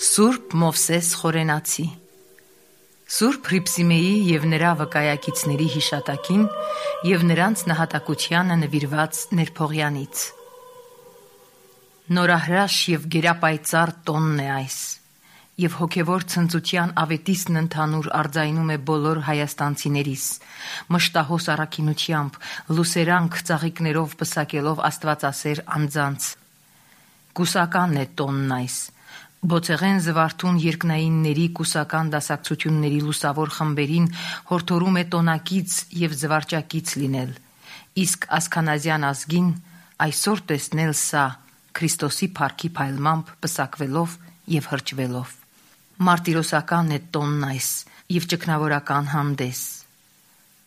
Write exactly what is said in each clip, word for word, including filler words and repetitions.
Սուրբ Մովսես Խորենացի Սուրբ Հռիփսիմեի և նրա վկայակիցների հիշատակին և նրանց նահատակությանը նվիրված ներփողյանից։ Նորահրաշ և գերապայծառ տոնն է այս, և հոգևոր ցնծության ավետիսն ընդհանուր արձայնում է բոլոր հայաստանցիներիս, մշտահոս առաքինությամբ, լուսերանք ծաղիկներով պսակելով աստվածասեր անձանց։ Կուսականն է տոնն այս, բոցեղեն զվարթուն երկնայինների կուսական դասակցությունների լուսավոր խմբերին հորդորում է տոնակից և զվարճակից լինել, իսկ ասքանազյան ազգին այսօր տեսնել սա Քրիստոսի փառքի փայլմամբ պսակվելով և հրճվելով։ Մարտիրոսական է տոնն այս և ճգնավորական հանդես։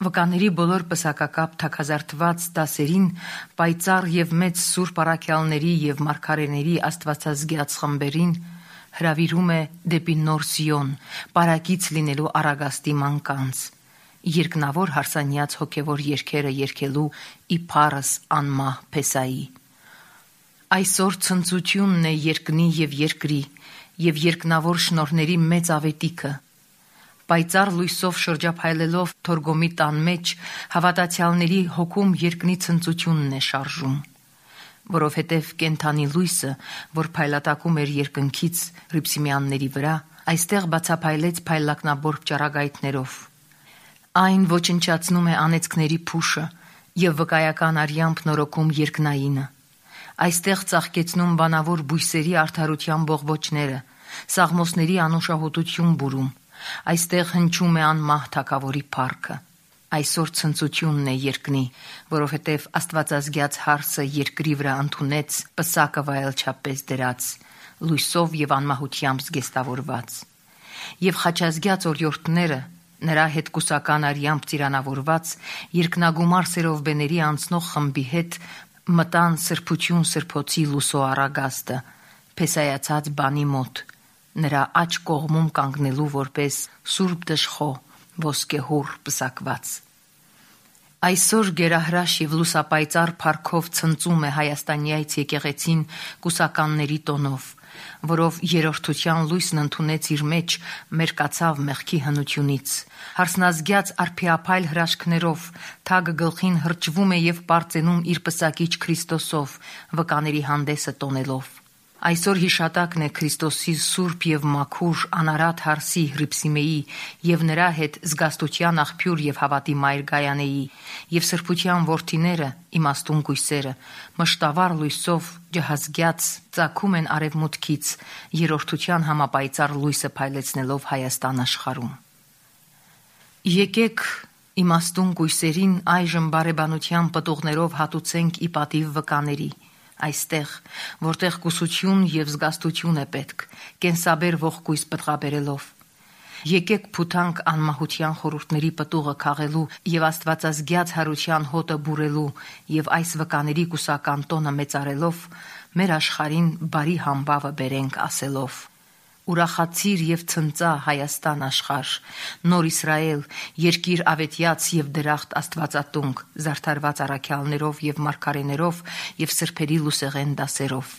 Վկաների բոլոր պսակակապ թագազարդված դասերին պայծառ և մեծ սուրբ առաքյալների և մարգարեների աստվածազգյաց խմբերին հրավիրում է դեպի նոր Սիոն, պարակից լինելու առագաստի մանկանց, երկնավոր հարսանյաց հոգևոր երգերը երգելու ի փառս անմահ Փեսայի։ Այսօր ցնծությունն է երկնի և երկրի և երկնավոր շնորհների մեծ ավետիքը։ Պայծառ լույսով շրջափայլելով Թորգոմի տան մեջ հավատացյալների հոգում երկնի ցնծությունն է շարժում, որովհետև կենդանի լույսը, որ փայլատակում էր երկնքից հռիփսիմյանների վրա, այստեղ բացափայլեց փայլակնաբորբ ճառագայթներով։ Այն ոչնչացնում է անեծքների փուշը և վկայական արյամբ նորոգում երկնայինը։ Այստեղ ծաղկեցնում բանավոր բույսերի արդարության բողբոջները, սաղմոսների անուշահոտություն բուրում, այստեղ հնչում է անմահ թագավորի փառքը։ Այսօր ցնծությունն է երկնի, որովհետև աստվածազգյաց հարսը երկրի վրա ընդունեց պսակը վայելչապես դրած, լույսով և անմահությամբ զգեստավորված։ Եվ խաչազգյաց օրիորդները, նրա հետ կուսական արյամբ ծիրանավորված, երկնագումար սերովբեների անցնող խմբի հետ մտան սրբություն սրբոցի լուսո առագաստը, փեսայացած բանի մոտ, նրա աջ կողմում կանգնելու որպես սուրբ դժխո, ոսկեհոռ պսակված։ Այսօր գերահրաշ և լուսապայծառ փառքով ցնծում է հայաստանյայց եկեղեցին կուսականների տոնով, որով երրորդության լույսն ընդունեց իր մեջ, մերկացավ մեղքի հնությունից, հարսնազգյաց արփիափայլ հրաշքներով, թագը գլխին հրճվում է և պարծենում իր պսակիչ Քրիստոսով, վկաների հանդեսը տոնելով։ Այսօր հիշատակն է Քրիստոսի սուրբ և մաքուր անարատ հարսի Հռիփսիմեի և նրա հետ զգաստության աղբյուր և հավատի մայր Գայանեի և սրբության որդիները, իմաստուն կույսերը, մշտավառ լույսով ջհազգյաց ծագում են արևմուտքից, երրորդության համապայծառ լույսը փայլեցնելով Հայաստան աշխարհում։ Եկեք իմաստուն կույսերին այժմ բարեբանության պտուղներով հատուցենք ի պատիվ վկաների, այստեղ, որտեղ կուսություն և զգաստություն է պետք, կենսաբեր ողկույզ պտղաբերելով։ Եկեք փութանք անմահության խորհուրդների պտուղը քաղելու և աստվածազգյաց հարության հոտը բուրելու և այս վկաների կուսական տոնը մեծարելով, մեր աշխարհին բարի համբավը բերենք ասելով. «Ուրախացիր և ցնծա Հայաստան աշխարհ, նոր Իսրայել, երկիր ավետյաց և դրախտ աստվածատունք, զարդարված առաքյալներով և մարգարեներով և սրբերի լուսեղեն դասերով։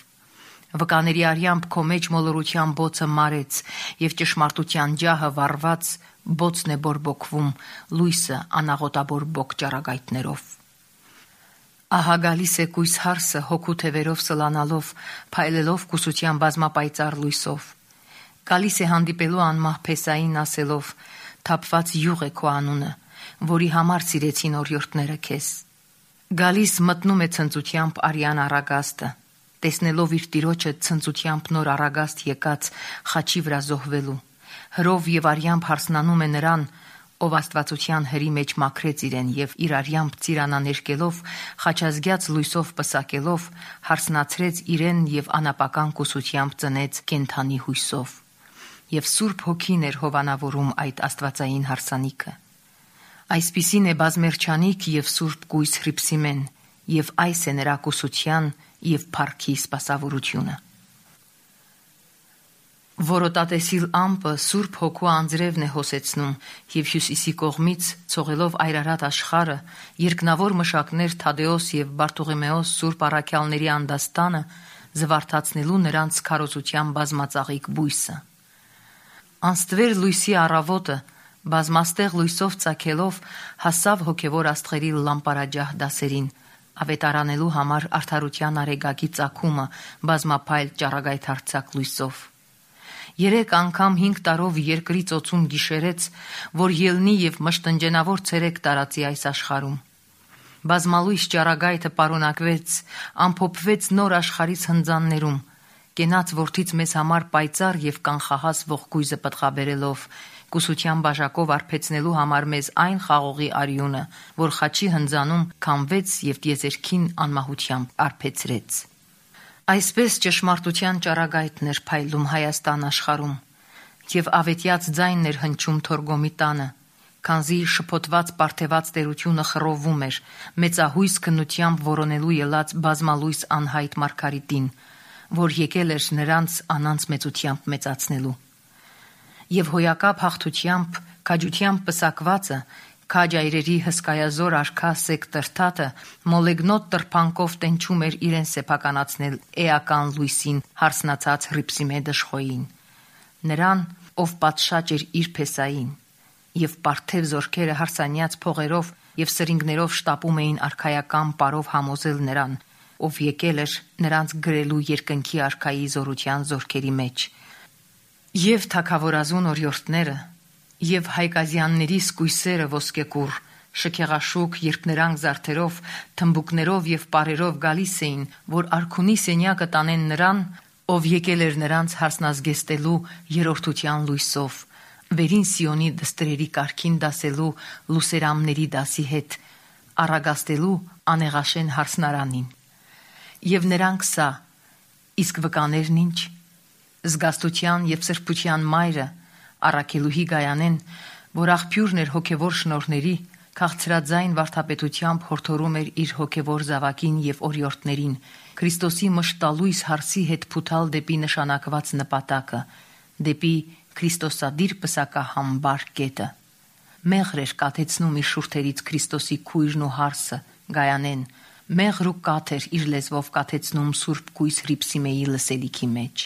Վկաների արյամբ քո մեջ մոլորության բոցը մարեց, և ճշմարտության ջահը վառված բոցն է բորբոքվում, լույսը անաղոտաբորբոք ճառագայթներով։ Ահա գալիս է կույս հարսը հոգու թևերով սլանալով, փայլելով կուսության բազմապայծառ լույսով։ Գալիս է հանդիպելու անմահ Փեսային ասելով. թափված յուղ է քո անունը, որի համար սիրեցին օրիորդները քեզ։ Գալիս մտնում է ցնծությամբ արյան առագաստը, տեսնելով իր տիրոջը ցնծությամբ նոր առագաստ եկած խաչի վրա զոհվելու, հրով և արյամբ հարսնանում է նրան, ով աստվածության հրի մեջ մաքրեց իրեն և իր արյամբ ծիրանաներկելով, խաչազգյաց լույսով պսակելով, հարսնացրեց իրեն և անապական կուսությամբ ծնեց կենդանի հույսով։ Եվ Սուրբ Հոգին էր հովանավորում այդ աստվածային հարսանիքը։ Այսպիսին է բազմերջանիկ և սուրբ կույս Հռիփսիմեն, և այս է նրա կուսության և փառքի սպասավորությունը։ Որոտատեսիլ ամպը Սուրբ Հոգու անձրևն է հոսեցնում և հյուսիսի կողմից, ցողելով այրարատ աշխարհը, երկնավոր մշակներ Թադեոս և Բարտողիմեոս սուրբ առաքյալների անդաստանը զվարթացնելու նրանց քարոզության բազմածաղիկ բույսը։ Անստվեր լույսի առավոտը բազմաստեղ լույսով ծագելով հասավ հոգևոր աստղերի լամպարաջահ դասերին, ավետարանելու համար արդարության արեգակի ծագումը բազմափայլ ճառագայթարձակ լույսով։ Երեք անգամ հինգ տարով երկրի ծոցում գիշերեց, որ ելնի եւ մշտնջենավոր ցերեկ տարածի այս աշխարհում։ Բազմալույս ճառագայթը պարունակվեց, ամփոփվեց նոր աշխարհից հնձաններում, կենաց որդից մեզ համար պայծառ եւ կանխահաս ողկույզը պտղաբերելով, կուսության բաժակով արբեցնելու համար մեզ այն խաղողի արյունը, որ խաչի հնձանում քամվեց եւ տիեզերքին անմահությամբ արբեցրեց։ Այսպես ճշմարտության ճառագայթն էր փայլում Հայաստան աշխարհում, եւ ավետյաց ձայնն էր հնչում Թորգոմի տանը, քանզի շփոթված պարթեված տերությունը խռովում էր մեծահույս քննությամբ որոնելու ելած բազմալույս անհայտ մարգարիտին, որ եկել էր նրանց անանց մեծությամբ մեծացնելու։ Եվ հոյակապ հաղթությամբ, քաջությամբ պսակվածը, քաջ այրերի հսկայազոր արքա Սեկտրթատը մոլեգնոտ տրփանկով տենչում էր իրեն սեփականացնել էական լույսին հարսնացած հռիփսիմե դժխոյին, նրան, ով պատշաճ էր իր փեսային, եւ պարթև զորքերը հարսանյաց փողերով եւ սրինգներով շտապում էին արքայական պարով համոզել նրան, ով եկել էր նրանց գրելու երկնքի արքայի զորության զորքերի մեջ։ Եվ թագավորազուն օրիորդները եւ հայկազյանների սկույսերը ոսկեկուռ, շքեղաշուկ, երբ նրանք զարդերով, թմբուկներով եւ պարերով գալիս էին, որ արքունի սենյակը տանեն նրան, ով եկել էր նրանց հարսնազգեստելու երրորդության լույսով, վերին Սիոնի դստրերի կարգին դասելու լուսերամների դասի հետ, առագաստելու անեղաշեն հարսնարանին։ Եվ նրանք սա, իսկ վկաներն ինչ, զգաստության եւ սրբության մայրը, առաքելուհի Գայանեն, որ աղբյուրն էր հոգևոր շնորհների, քաղցրաձայն վարդապետությամբ հորդորում էր իր հոգևոր զավակին եւ օրիորդներին Քրիստոսի մշտալույս հարսի հետ փութալ դեպի նշանակված նպատակը, դեպի Քրիստոսադիր պսակահամբար կետը։ Մեղր էր կաթեցնում իր շուրթերից Քրիստոսի քույրն ու հարսը, Գայանեն, մեղր ու կաթ էր իր լեզվով կաթեցնում Սուրբ Կույս Հռիփսիմեի լսելիքի մեջ։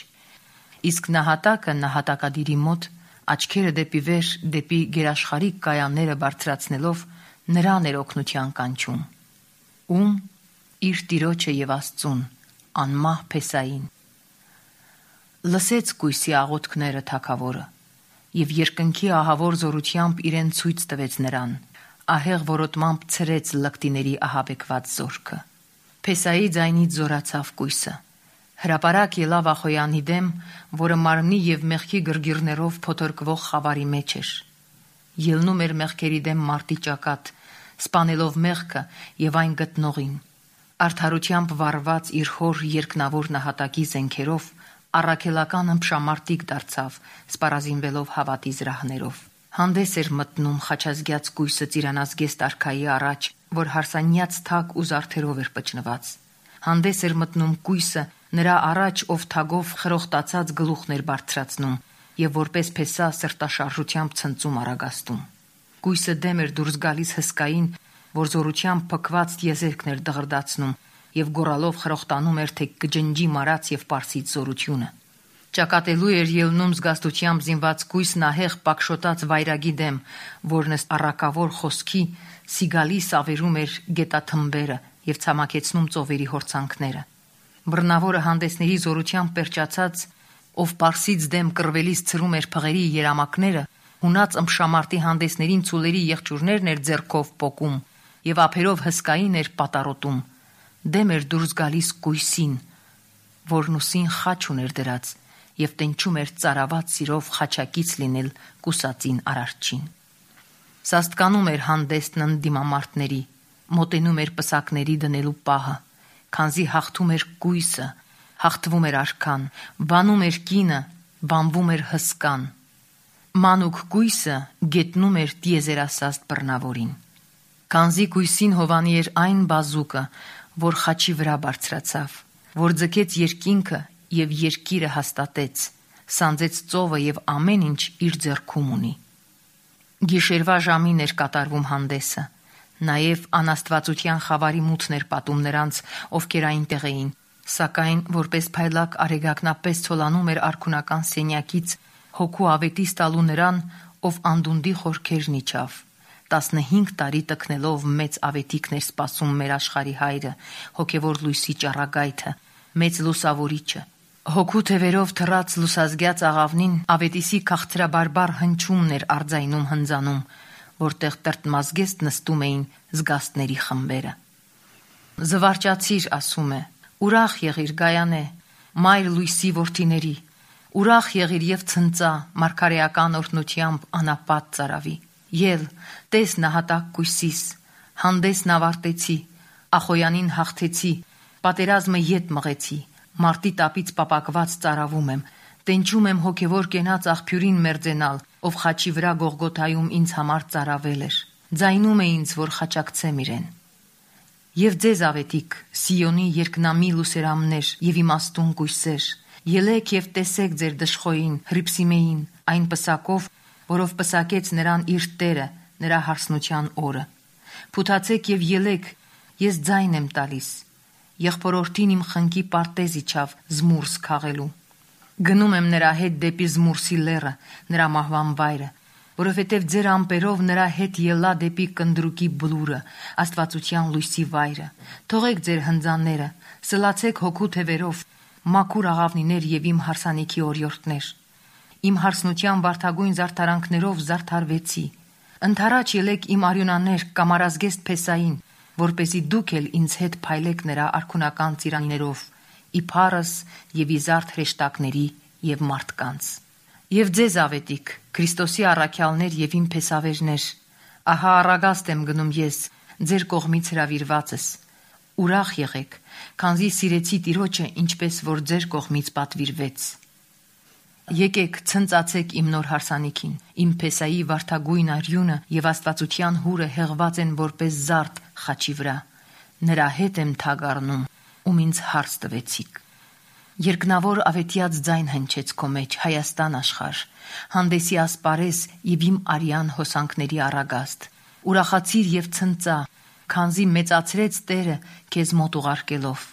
Իսկ նահատակը նահատակադիրի մոտ աչքերը դեպի վեր, դեպի գերաշխարհիկ կայանները բարձրացնելով նրան էր օգնության կանչում, ում իր տիրոջը եւ Աստծուն, անմահ փեսային։ Լսեց Կույսի աղոթքները թագավորը եւ երկնքի ահավոր զորությամբ իրեն ցույց տվեց նրան, ահեղ որոտմամբ ցրեց լկտիների ահաբեկված զորքը։ Փեսայի ձայնից զորացավ Կույսը, հրապարակ ելավ Ախոյանի դեմ, որը մարմնի եւ մեղքի գրգիրներով փոթորկվող խավարի մեջ էր։ Ելնում էր մեղքերի դեմ մարտի ճակատ, սպանելով մեղքը եւ այն գտնողին։ Արդարությամբ վառված իր հոր երկնավոր նահատակի զենքերով առաքելական ըմբշամարտիկ դարձավ, սպառազինվելով հավատի զրահներով։ Հանդես էր մտնում խաչազգյաց Կույսը ծիրանազգեստ արքայի առաջ, որ հարսանյաց թակ ու զարդերով էր պճնված։ Հանդես էր մտնում Կույսը նրա առաջ, ով թագով խրոխտացած գլուխն էր բարձրացնում եւ որպես փեսա սրտաշարժությամբ ցնծում արագաստում։ Կույսը դեմ էր դուրս գալիս հսկային, որ զորությամբ փքված տիեզերքն էր դղրդացնում եւ գոռալով խրոխտանում էր, թե կջնջի մարած եւ պարսից զորությունը։ Ճակատելու էր ելնում զգաստությամբ զինված Կույսն ահեղ պակշոտած վայրագի դեմ, որն ըստ առակավոր խոսքի սիգալի սավերում էր գետաթմբերը եւ ցամաքեցնում ծովերի հորցանքները։ Բռնավորը հանդեսների զորությամբ պերճացած, ով պարսից դեմ կռվելիս ցրում էր փղերի երամակները, հունած ըմբշամարտի հանդեսներին ցուլերի եղջյուրներն էր ձեռքով պոկում եւ ափերով հսկային էր պատարոտում։ Դեմ էր դուրս գալիս Կույսին, որն ուսին խաչ ուներ դրած եւ տենչում էր ծարաված սիրով խաչակից լինել կուսածին արարչին։ Սաստկանում էր հանդեսն ընդդիմամարտների, մոտենում էր պսակների դնելու պահը, քանզի հաղթում էր Կույսը, հաղթվում էր արքան, բանում էր կինը, բանվում էր հսկան։ Մանուկ Կույսը գետնում էր տիեզերասաստ բռնավորին։ Քանզի Կույսին հովանի էր այն բազուկը, որ խաչի վրա բարձրացավ, որ ձգեց երկինքը եւ երկիրը հաստատեց, սանձեց ծովը եւ ամեն ինչ իր ձեռքում ունի։ Գիշերվա ժամին էր կատարվում հանդեսը, նաեւ անաստվածության խավարի մութն էր պատում նրանց, ովքեր այնտեղ էին, Սակայն որպես փայլակ արեգակնապես ցոլանում էր արքունական սենյակից հոգու ավետիս տալու նրան, ով անդունդի խորքերն իջավ։ տասնհինգ տարի տքնելով մեծ ավետիքն էր սպասում մեր աշխարհի հայրը, հոգևոր լույսի ճառագայթը, մեծ լուսավորիչը։ Հոգու թևերով թռած լուսազգյաց աղավնին ավետիսի քաղցրաբարբար հնչումն էր արձայնում հնձանում, որտեղ տրտմազգեստ նստում էին զգաստների խմբերը։ Զվարճացիր, ասում է, ուրախ եղիր Գայանե, մայր լույսի որդիների, ուրախ եղիր եւ ցնծա մարգարեական օրհնությամբ անապատ ծարավի։ Ել, տես նահատակ կույսիս, հանդեսն ավարտեցի, Ախոյանին հաղթեցի, պատերազմը ետ մղեցի, մարտի տապից պապակված ծարավում եմ, տենչում եմ հոգևոր կենաց աղբյուրին մերձենալ, ով խաչի վրա Գողգոթայում ինձ համար ծարավել էր, ձայնում է ինձ, որ խաչակցեմ իրեն։ Եվ ձեզ ավետիք, Սիոնի երկնամի լուսերամներ եւ իմաստուն կույսեր, ելեք եւ տեսեք ձեր դժխոյին, Հրիփսիմեին, այն պսակով, որով պսակեց նրան իր Տերը, նրա հարսնության օրը։ Փութացեք եւ ելեք, ես ձայն եմ տալիս։ Եղբորորդին իմ խնկի պարտեզ իջավ զմուրս քաղելու։ Գնում եմ նրա հետ դեպի զմուրսի լեռը, նրա մահվան վայրը, որովհետև ձեր ամպերով նրա հետ ելա դեպի կնդրուկի բլուրը, աստվածության լույսի վայրը։ Թողեք ձեր հնձանները, սլացեք հոգու թևերով, մաքուր աղավնիներ եւ իմ հարսանիքի օրիորդներ։ Իմ հարսնության վարդագույն զարդարանքներով զարդարվեցի։ Ընթառաջ ելեք իմ արյունաներ կամարազգեստ Փեսային, որպեսզի դուք էլ ինձ հետ փայլեք նրա արքունական ծիրաններով, իփարս եւ իզարդ հրեշտակների եւ մարդկանց։ Եվ ձեզ ավետիք, Քրիստոսի առաքյալներ եւ իմ փեսավերներ, ահա առագաստ եմ գնում ես, ձեր կողմից հրավիրվածս։ Ուրախ եղեք, քանզի սիրեցի Տիրոջը, ինչպես որ ձեր կողմից պատվիրվեց։ Եկեք ցնծացեք իմ նոր հարսանիքին, իմ Փեսայի վարդագույն արյունը եւ աստվածության հուրը հեղված են որպես զարդ խաչի վրա։ Նրա հետ եմ թագ առնում, ում ինձ հարց տվեցիք։ Երկնավոր ավետյաց ձայն հնչեց քո մեջ, Հայաստան աշխարհ, հանդեսի ասպարես եւ իմ արյան հոսանքների առագաստ։ Ուրախացիր եւ ցնծա, քանզի մեծացրեց Տերը քեզ մոտ ուղարկելով։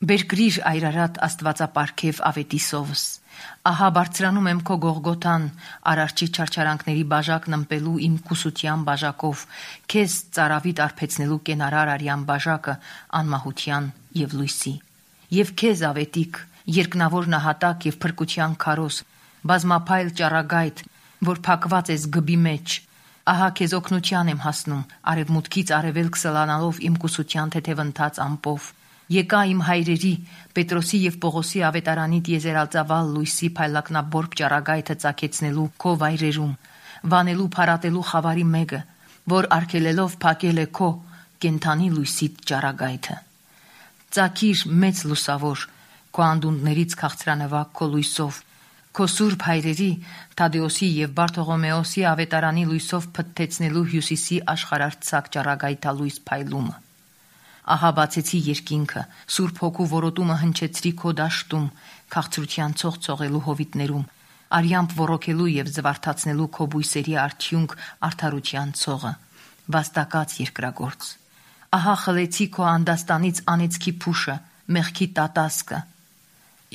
Բերկրիր այրարատ աստվածապարգև ավետիսովս։ Ահա բարձրանում եմ քո Գողգոթան, արարչի չարչարանքների բաժակն ըմպելու իմ կուսության բաժակով, քեզ ծարավիտ արբեցնելու կենարար արյան բաժակը անմահության եւ լույսի։ Եվ քեզ ավետիք, երկնավոր նահատակ եւ փրկության քարոս, բազմափայլ ճառագայթ, որ փակված ես գբի մեջ, ահա քեզ օգնության եմ հասնում, արևմուտքից արևելք սլանալով իմ կուսության թեթևընթաց ամպով։ Եկա իմ հայրերի, Պետրոսի եւ Պողոսի ավետարանի տիեզերածավալ լույսի փայլակնաբորբ ճառագայթը ծագեցնելու քո վայրերում, վանելու փարատելու խավարի մեկը, որ արգելելով փակել է քո կենթանի լույսի ճառագայթը։ Ծակիր մեծ լուսավոր, քո անդունդներից քաղցրանվակ քո լույսով, քո սուրբ հայրերի, Թադեոսի եւ Բարթողոմեոսի ավետարանի լույսով փթթեցնելու հյուսիսի աշխարհարցակ ճառագայթալույս փայլումը։ Ահա բացեցի երկինքը, Սուրբ Հոգու որոտումը հնչեցրի քո դաշտում, քաղցրության ցող ցողելու հովիտներում, արյամբ ոռոգելու եւ զվարթացնելու քո բույսերի արդյունք արդարության ցողը, վաստակած երկրագործ։ Ահա խլեցի քո անդաստանից անեծքի փուշը, մեղքի տատասկը։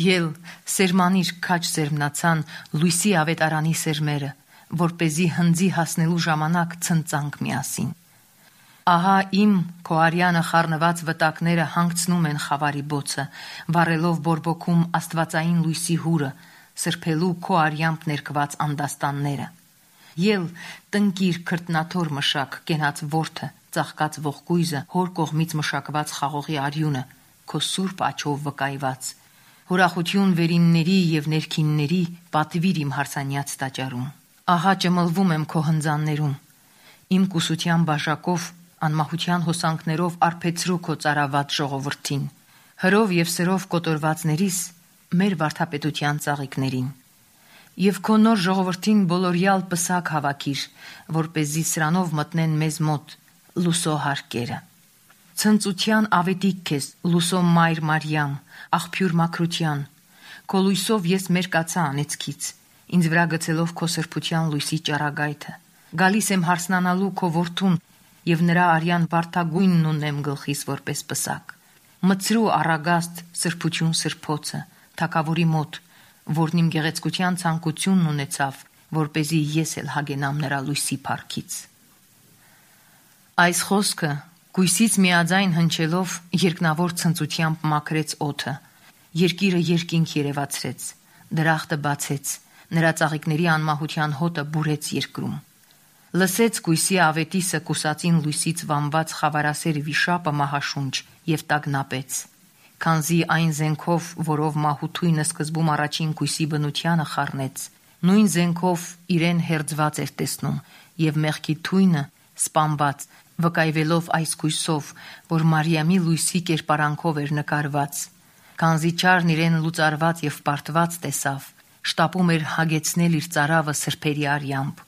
Ել սերմանիր քաչ սերմնացան լույսի ավետարանի սերմերը, որպեսզի հնձի հասնելու ժամանակ ցնծանք միասին։ Ահա իմ քո արյանը խառնված վտակները հանգցնում են խավարի բոցը, վառելով բորբոքում աստվածային լույսի հուրը, սրբելու քո արյամբ ներկված անդաստանները։ Ել տնկիր քրտնաթոր մշակ, կենաց որդը, ծաղկած ողկույզը, հոր կողմից մշակված խաղողի արյունը, քո սուրբ աչով վկայված։ Հուրախություն վերինների եւ ներքինների պատվիր իմ հարսանյաց տաճարում։ Ահա ճմլվում եմ քո հնձաններում, իմ կուսության բաժակով, անմահության հոսանքներով արբեցրու քո ծարաված ժողովրդին, հրով եւ սրով կոտորվածներիս մեր վարդապետության ծաղիկներին։ Եվ քո նոր ժողովրդին բոլորյալ պսակ հավաքիր, որպեսզի սրանով մտնեն մեզ մոտ լուսո հարկերը։ Ցնծության ավետիք քեզ, լուսո մայր Մարիամ, աղբյուր մաքրության, քո լույսով ես մերկացա անեծքից, ինձ վրա գցելով քո սրբության լույսի ճառագայթը։ Գալիս եմ հարսնանալու քո որդուն եւ նրա արյան վարդագույնն ունեմ գլխիս որպես պսակ։ մծրու առագաստ սրբություն սրբոցը, թագավորի մոտ, որն իմ գեղեցկության ցանկությունն ունեցավ, որպեսզի ես էլ հագենամ նրա լույսի փառքից։ Այս խոսքը գույսից միաձայն հնչելով երկնավոր ցնծությամբ մաքրեց օդը, երկիրը երկինք երևացրեց, դրախտը բացեց, նրա ծաղիկների անմահության հոտը բուրեց երկրում։ Լսեց գույսի ավետիսը կուսածին լույսից վամված խավարասեր վիշապը մահաշունչ և տագնապեց, քանզի այն զենքով, որով մահութույնը սկզբում առաջին գույսի բնությանը խառնեց, նույն զենքով իրեն հերձված էր տեսնում և մեղքի թույնը սպանված, վկայվելով այս գույսով, որ Մարիամի լույսի կերպարանքով էր նկարված, քանզի չարն իրեն լուծարված և պարտված տեսավ, շտապում էր հագեցնել իր ծարավը սրբերի արյամբ։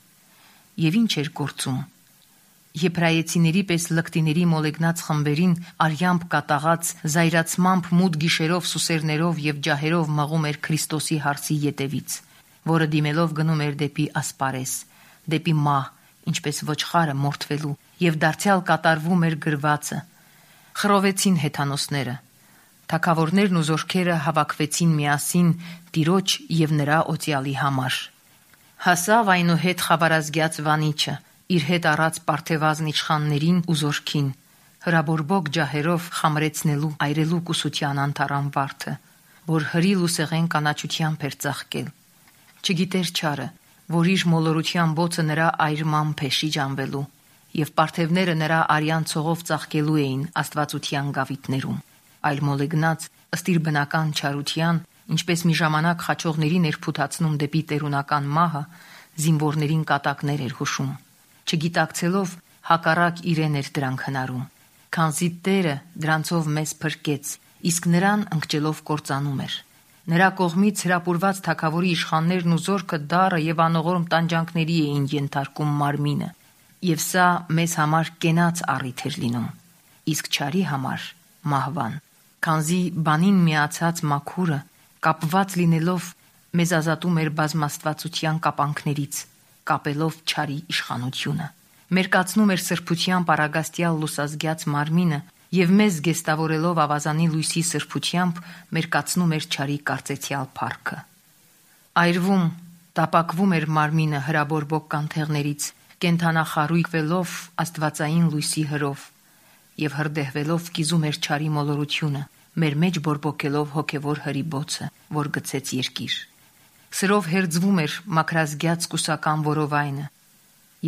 Եվ ինչ էր գործում։ Եբրայեցիների պես լկտիների մոլեգնած խմբերին արյամբ կատաղած զայրացմամբ մութ գիշերով սուսերներով և ջահերով մղում էր Քրիստոսի հարսի ետևից, որը դիմելով գնում էր դեպի ասպարես, դեպի մահ, ինչպես ոչխարը մորթվելու, և դարձյալ կատարվում էր գրվածը։ Խռովեցին հեթանոսները։ Թագավորներն ու զորքերը հավաքվեցին միասին Տիրոջ և նրա օծյալի համար։ Հասավ այնուհետ խավարազգյաց վանիչը, իր հետ առած պարթևազն իշխաններին ու զորքին, հրաբորբոք ջահերով խամրեցնելու այրելու կուսության անթառամ վարդը, որ հրիլ ու սեղեն կանաչությամբ էր ծաղկել։ Չգիտեր չարը, որ իր մոլորության բոցը նրա այրմամբ է շիջանվելու, և պարթևները նրա արյան ցողով ծաղկելու էին աստվածության գավիթներում, այլ մոլեգնած ըստ իր բնական չարության, ինչպես մի ժամանակ խաչողներին էր փութացնում դեպի տերունական մահը, զինվորներին կատակներ էր հուշում, չգիտակցելով հակառակ իրեն էր դրանք հնարում, քանզի Տերը դրանցով մեզ փրկեց, իսկ նրան ընկճելով կործանում էր։ Նրա կողմից հրապուրված թագավորի իշխաններն ու զորքը դառը և անողորմ տանջանքների էին ենթարկում մարմինը, և սա մեզ համար կենաց առիթ էր լինում, իսկ չարի համար մահվան, քանզի բանին միացած մաքուրը, կապված լինելով, մեզ ազատում էր բազմաստվածության կապանքներից, կապելով չարի իշխանությունը, մերկացնում էր սրբության պարագաստյալ լուսազգյաց մարմինը և մեզ գեստավորելով ավազանի լույսի սրբությամբ մերկացնում էր չարի կարծեցյալ փառքը։ Այրվում, տապակվում էր մարմինը հրաբորբոք կանթեղներից, կենդանախարույկվելով աստվածային լույսի հրով և հրդեհվելով կիզում էր չարի մոլորությունը, մեր մեջ բորբոքելով հոգևոր հրի բոցը, որ գցեց երկիր։ Սրով հերձվում էր մաքրազգյաց կուսական որովայնը,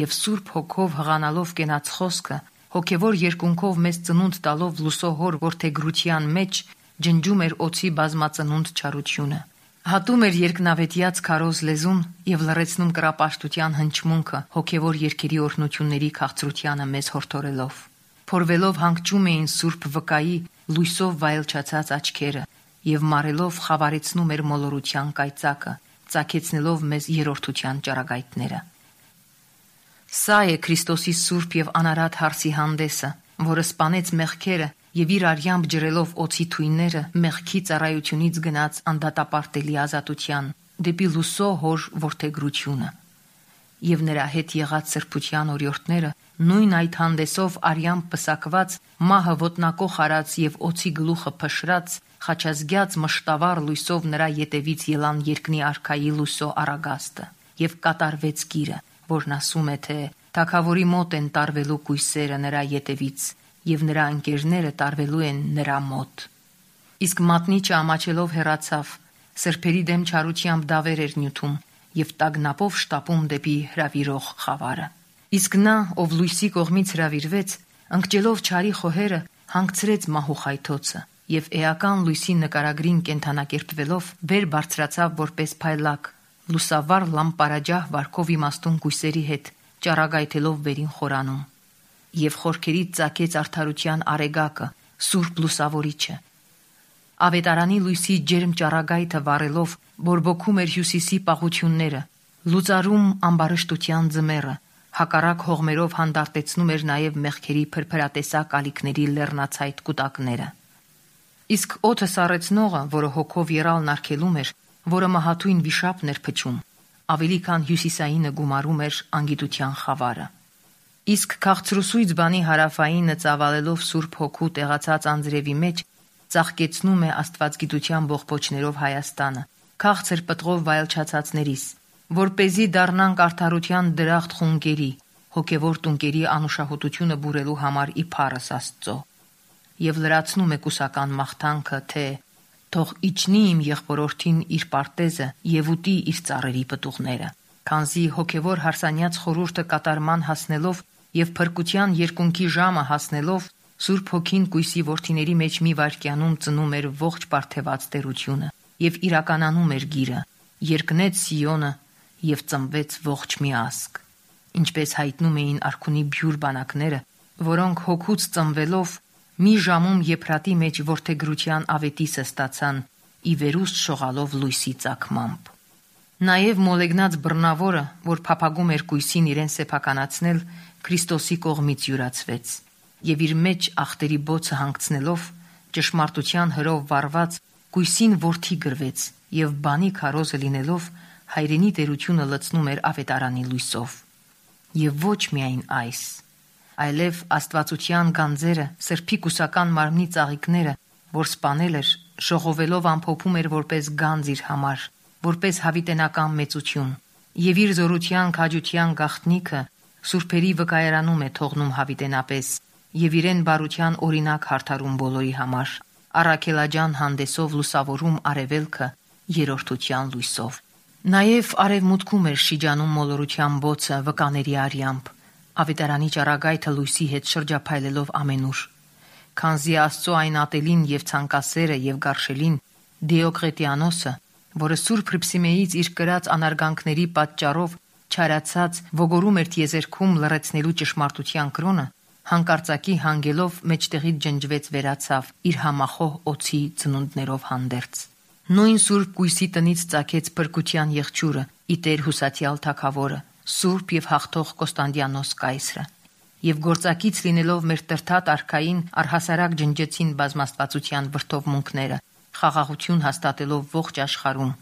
և Սուրբ Հոգով հղանալով կենաց խոսքը, հոգևոր երկունքով մեզ ծնունդ տալով լուսոհոր որդեգրության մեջ, ջնջում էր օձի բազմածնունդ չարությունը, հատում էր երկնավետյաց քարոզ լեզուն և լռեցնում կռապաշտության հնչմունքը հոգևոր երգերի օրհնությունների քաղցրությանը մեզ հորդորելով։ Փորվելով հանգչում էին Սուրբ Վկայի լույսով վայելչացած աչքերը և մարելով խավարեցնում էր մոլորության կայծակը, ծագեցնելով մեզ երրորդության ճառագայթները։ Սա է Քրիստոսի սուրբ և անարատ հարսի հանդեսը, որը սպանեց մեղքերը և իր արյամբ ջրելով օձի թույնները մեղքի ծառայությունից գնաց անդատապարտելի ազատության, դեպի լուսո հոր որդեգրությունը։ Եվ նրա հետ եղած սրբության օրիորդները նույն այդ հանդեսով արյամբ պսակված, մահը ոտնակոխ արած և օձի գլուխը փշրած, խաչազգյաց մշտավառ լույսով նրա ետևից ելան երկնի արքայի լույսո առագաստը, և կատարվեց գիրը, որն ասում է, թե թագավորի մոտ են տարվելու կույսերը նրա ետևից, և նրա ընկերները տարվելու են նրա մոտ։ Իսկ մատնիչը ամաչելով հեռացավ, սրբերի դեմ չարությամբ դավեր էր նյութում և տագնապով շտապում դեպի հրավիրող խավարը։ Իսկ նա, ով լույսի կողմից հրավիրվեց, ընկճելով չարի խոհերը, հանգցրեց մահու խայթոցը և էական լույսի նկարագրին կենդանակերպվելով վեր բարձրացավ որպես փայլակ, լուսավառ լամպարաջահ վարքով իմաստուն կույսերի հետ, ճառագայթելով վերին խորանում, և խորքերից ծագեց արդարության արեգակը, Սուրբ Լուսավորիչը։ Ավետարանի լույսի ջերմ ճառագայթը վառելով բորբոքում էր հյուսիսի պաղությունները, լուծարում ամբարշտության ձմեռը, հակառակ հողմերով հանդարտեցնում էր նաև մեղքերի փրփրատեսակ ալիքների լեռնացայտ կուտակները։ Իսկ օդը սառեցնողը, որը հոգով եռալն արգելում էր, որը մահաթույն վիշապն էր փչում, ավելի քան հյուսիսայինը գումարում էր անգիտության խավարը։ Իսկ քաղցրուսույց բանի հարավայինը ծավալելով Սուրբ Հոգու տեղացած անձրևի մեջ, ծաղկեցնում է աստվածգիտության բողբոջներով Հայաստանը, քաղցր պտղով վայելչացածներիս, որպեսզի դառնանք արդարության դրախտ խունկերի, հոգևոր տունկերի անուշահոտությունը բուրելու համար ի փառս Աստծո։ Եվ լրացնում է կուսական մաղթանքը, թե թող իջնի իմ եղբորորդին իր պարտեզը եւ ուտի իր ծառերի պտուղները, քանզի հոգևոր հարսանյաց խորհուրդը կատարման հասնելով եւ փրկության երկունքի ժամը հասնելով Սուրբ Հոգին Կույսի որդիների մեջ մի վայրկյանում ծնում էր ողջ պարթեված տերությունը եւ իրականանում էր գիրը, երկնեց Սիոնը եւ ծնվեց ողջ մի ազգ, ինչպես հայտնում էին արքունի բյուր բանակները, որոնք հոգուց ծնվելով մի ժամում Եփրատի մեջ որդեգրության ավետիսը ստացան, ի վերուստ շողալով լույսի ծագմամբ։ Նաև մոլեգնած բռնավորը, որ փափագում էր Կույսին իրեն սեփականացնել, Քրիստոսի կողմից յուրացվեց, եւ իր մեջ ախտերի բոցը հանգցնելով ճշմարտության հրով վառված Կույսին որդի գրվեց եւ բանի քարոզը լինելով հայրենի տերությունը լցնում էր ավետարանի լույսով։ Եվ ոչ միայն այս, այլև աստվածության գանձերը, սրբի կուսական մարմնի ծաղիկները, որ սպանել էր, ժողովելով ամփոփում էր որպես գանձ իր համար, որպես հավիտենական մեծություն, եւ իր զորության քաջության գաղտնիքը սուրբերի վկայարանում է թողնում հավիտենապես եւ իրեն բարության օրինակ հարթարում բոլորի համար, առաքելաջան հանդեսով լուսավորում արևելքը երրորդության լույսով։ Նաև արևմուտքում էր շիջանում մոլորության բոցը վկաների արյամբ, ավետարանի ճառագայթը լույսի հետ շրջափայլելով ամենուր, քանզի Աստծո այն ատելին եւ ցանկասերը եւ գարշելին Դիոկլետիանոսը, որը Սուրբ Հռիփսիմեից իր կրած անարգանքների պատճառով չարացած ոգորում էր տիեզերքում լռեցնելու ճշմարտության կրոնը, հանկարծակի հանգելով մեջտեղից ջնջվեց վերացավ իր համախոհ օձի ծնունդներով հանդերձ։ Նույն Սուրբ Կույսի տնից ծագեց փրկության եղջյուրը, ի Տեր Հուսատյալ Թագավորը, Սուրբ եւ հաղթող Կոստանդիանոս կայսրը, եւ գործակից լինելով մեր տրթատ արքային առհասարակ ջնջեցին բազմաստվածության վրդովմունքները, խաղաղություն հաստատելով ողջ աշխարհում,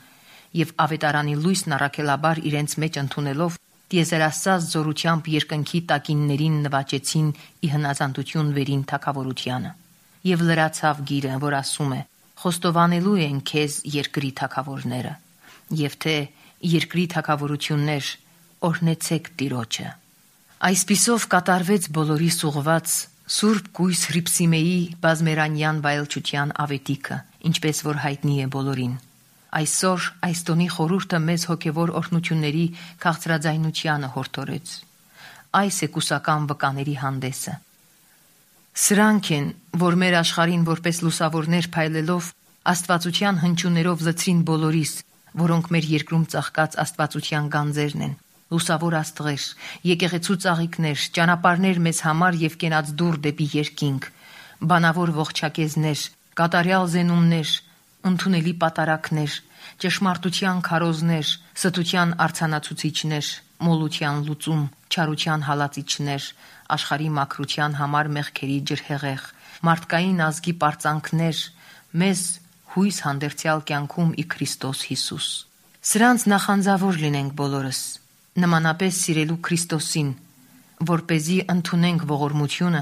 եւ ավետարանի լույսն առաքելաբար իրենց մեջ ընդունելով տիեզերասաց զորությամբ երկնքի տակիններին նվաճեցին ի հնազանդություն վերին թագավորությանը։ Եվ լրացավ գիրը, որ ասում է. խոստովանելու են քեզ երկրի թագավորները, եւ թե երկրի թագավորություններ օրհնեցեք Տիրոջը։ Այսպիսով կատարվեց բոլորի սուղված Սուրբ Կույս Հռիփսիմեի բազմերանյան վայելչության ավետիքը, ինչպես որ հայտնի է բոլորին։ Այսօր այս տոնի խորհուրդը մեզ հոգևոր օրհնությունների քաղցրաձայնությանը հորդորեց։ Այս է կուսական վկաների հանդեսը։ Սրանք են, որ մեր աշխարհին որպես լուսավորներ փայլելով աստվածության հնչյուններով լցրին բոլորիս, որոնք մեր երկրում ծաղկած աստվածության գանձերն են, լուսավոր աստղեր, եկեղեցու ծաղիկներ, ճանապարհներ մեզ համար եւ կենաց դուռ դեպի երկինք, բանավոր ողջակեզներ, կատարյալ զենումներ, ընդունելի պատարակներ, ճշմարտության քարոզներ, ստության արցանացուցիչներ, մոլության լուծում, չարության հալածիչներ, աշխարհի մաքրության համար մեղքերի ջրհեղեղ, մարդկային ազգի պարծանքներ, մեզ հույս հանդերձյալ կյանքում ի Քրիստոս Հիսուս։ Սրանց նախանձավոր լինենք բոլորս, նմանապես սիրելու Քրիստոսին, որպեսզի ընդունենք ողորմությունը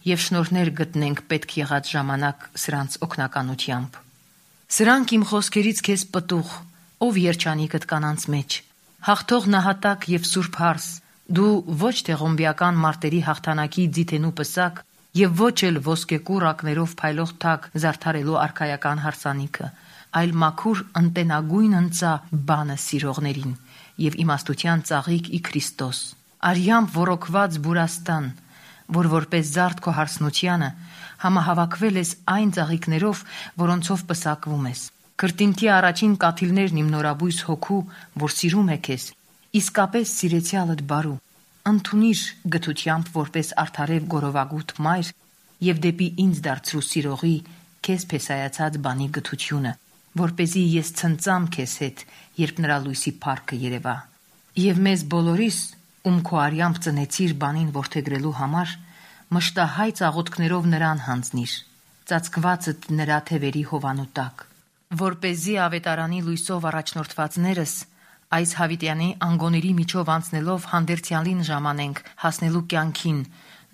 եւ շնորհներ գտնենք պետք եղած ժամանակ սրանց օգնականությամբ։ Սրանք իմ խոսքերից քեզ պտուղ, ով երջանիկդ կանանց մեջ, հաղթող նահատակ եւ սուրբ հարս, դու ոչ թե ղոմբիական մարտերի հաղթանակի ձիթենու պսակ եւ ոչ էլ ոսկեկուռ ակներով փայլող թակ զարդարելու արքայական հարսանիքը, այլ մաքուր ընտենագույն ընծա բանը սիրողներին եւ իմաստության ծաղիկ ի Քրիստոս, արյամբ ոռոգված բուրաստան, որ որպես զարդ քո հարսնությանը համահավաքվել ես այն ծաղիկներով, որոնցով պսակվում ես։ Քրտինքի առաջին կաթիլներն իմ նորաբույս հոգու, որ սիրում է քեզ, իսկապես սիրեցյալդ բարու, ընդունիր գթությամբ որպես արդարև գորովագութ մայր եւ դեպի ինձ դարձրու սիրողի քեզ փեսայացած բանի գթությունը, որպեսզի ես ցնծամ քեզ հետ, երբ նրա լույսի փառքը երևա։ Եվ մեզ բոլորիս, ում քո արյամբ ծնեցիր բանին որդեգրելու համար, մշտահայ ծաղոթքներով նրան հանձնիր, ծածկվածդ նրա թևերի հովանու տակ, որպեսզի ավետարանի լույսով առաջնորդվածներս այս հավիտյանի անգոների միջով անցնելով հանդերձյալին ժամանենք հասնելու կյանքին,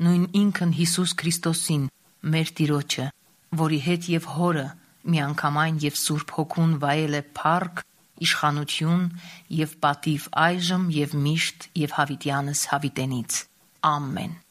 նույն ինքն Հիսուս Քրիստոսին, մեր Տիրոջը, որի հետ եւ հորը միանգամայն եւ Սուրբ Հոգուն վայել է փառք, իշխանություն եւ պատիվ այժմ եւ միշտ եւ հավիտյանս հավիտենից։ Ամեն։